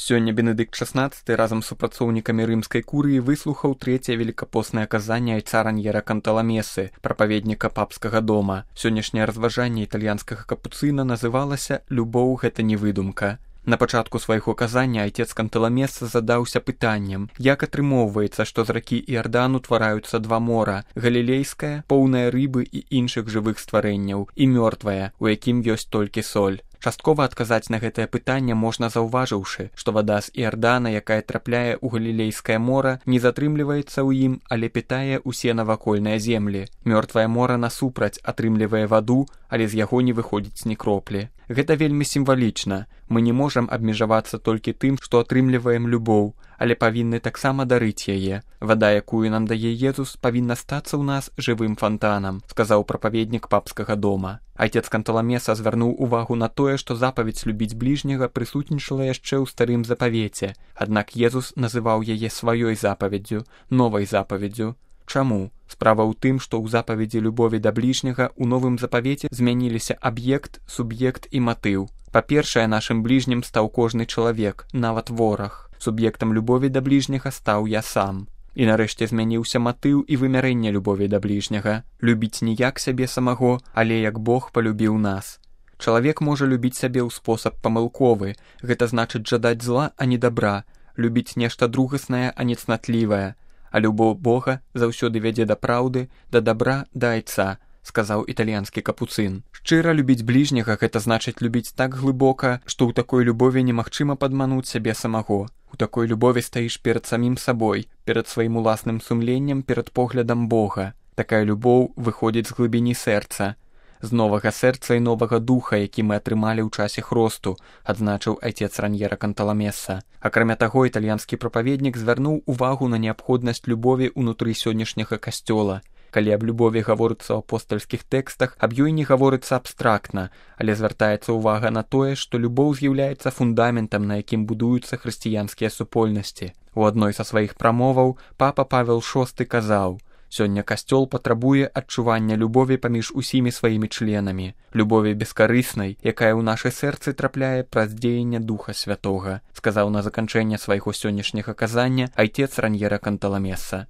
Сёння Бенедыкт XVI разам з супрацоўнікамі рымскай курыі выслухаў трэцяе велікапоснае казанне айца Раньера Канталамесы, прапаведніка папскага дома. Сённяшняе разважанне італьянскага капуцына называлася «Любоў – гэта не выдумка». На пачатку свайго казання айцец Канталамеса задаўся пытаннем, як атрымоўваецца, што з ракі Іардан утвараюцца два мора – галілейскае, поўнае рыбы і іншых жывых стварэнняў, і мёртвае, у якім ёсць толькі соль. Часткова адказаць на гэтае пытанне можна заўважыўшы, што вада з Іардана, якая трапляе ў галілейскае мора, не затрымліваецца ў ім, але пітае ўсе навакольныя землі. Мёртвае мора насупраць атрымлівае ваду, але з яго не выходзіць ні кроплі. Гэта вельмі сімвалічна. Мы не можам абмежавацца толькі тым, што атрымліваем любоў, але павінны таксама дарыць яе. Вада, якую нам дае Езус, павінна стацца ў нас жывым фантанам, сказаў прапаведнік папскага дома. Айцец Канталамеса звярнуў увагу на тое, што запаведь любіць бліжняга прысутнічала яшчэ ў старым запавеце, аднак Езус называў яе сваёй запаведдзю, новай запаведдзю. Чаму? Справа ў тым, што ў запаведзі любові да бліжняга ў новым запавеце змяніліся аб'ект, суб'ект і матыў. Па-першае, нашым бліжнім стаў кожны чалавек, нават вораг. Суб'ектам любові да бліжняга стаў я сам. І нарэшце змяніўся матыў і вымярэнне любові да бліжняга. Любіць не як сябе самого, але як Бог палюбіў нас. Чалавек можа любіць сябе ў спосаб памылковы, гэта значыць жадаць зла, а не дабра, любіць нешта другаснае, а не цнатлівае. А любоў Бога заўсёды вядзе да праўды, да дабра, да айца, сказаў італьянскі капуцын. Шчыра любіць бліжняга – гэта значыць любіць так глыбока, што ў такой любові немагчыма падмануць сябе самого. У такой любові стаіш перад самім сабой, перад сваім уласным сумленнем, перад поглядам Бога. Такая любоў выходзіць з глыбіні сэрца, з новага сэрца і новага духа, які мы атрымалі ў часе хросту, адзначыў айцец Раньера Канталамеса. Акрамя таго, італьянскі прапаведнік звярнуў увагу на неабходнасць любові ўнутры сённяшняга касцёла. Калі аб любові гаворыцца ў апостальскіх тэкстах, аб ёй не гаворыцца абстрактна, але звяртаецца ўвага на тое, што любоў з'яўляецца фундаментам, на якім будуюцца хрысціянскія супольнасці. У адной са сваіх прамоваў папа Павел VI казаў: «Сёння касцёл патрабуе адчування любові паміж усімі сваімі членамі, любові бескарыснай, якая ў нашы сэрцы трапляе праз дзеянне Духа Святога», сказаў на заканчэнне свайго сённяшняга казання айцец Раньера Канталамеса.